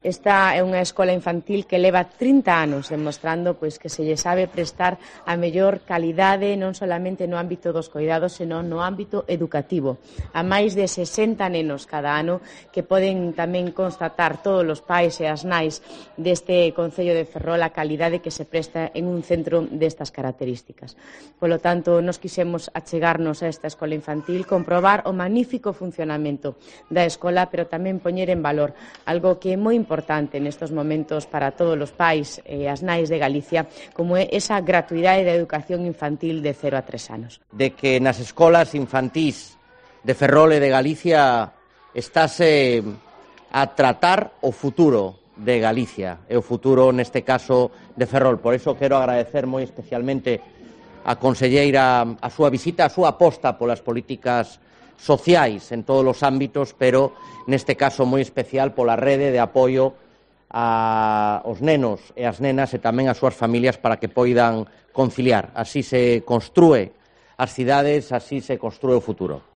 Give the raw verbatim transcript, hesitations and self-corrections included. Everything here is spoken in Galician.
Esta é unha escola infantil que leva trinta anos demostrando pois, que se lle sabe prestar a mellor calidade non solamente no ámbito dos coidados, senón no ámbito educativo. A máis de sesenta nenos cada ano que poden tamén constatar todos os pais e as nais deste Concello de Ferrol a calidade que se presta en un centro destas características. Polo tanto, nos quixemos achegarnos a esta escola infantil, comprobar o magnífico funcionamento da escola, pero tamén poñer en valor algo que é moi importante importante nestos momentos para todos os pais e as nais de Galicia, como é esa gratuidade da educación infantil de cero a tres anos. De que nas escolas infantís de Ferrol e de Galicia estase a tratar o futuro de Galicia e o futuro, neste caso, de Ferrol. Por iso quero agradecer moi especialmente a conselleira a súa visita, a súa aposta polas políticas sociais en todos os ámbitos, pero neste caso moi especial pola rede de apoio aos nenos e as nenas e tamén as súas familias para que poidan conciliar. Así se construe as cidades, así se construe o futuro.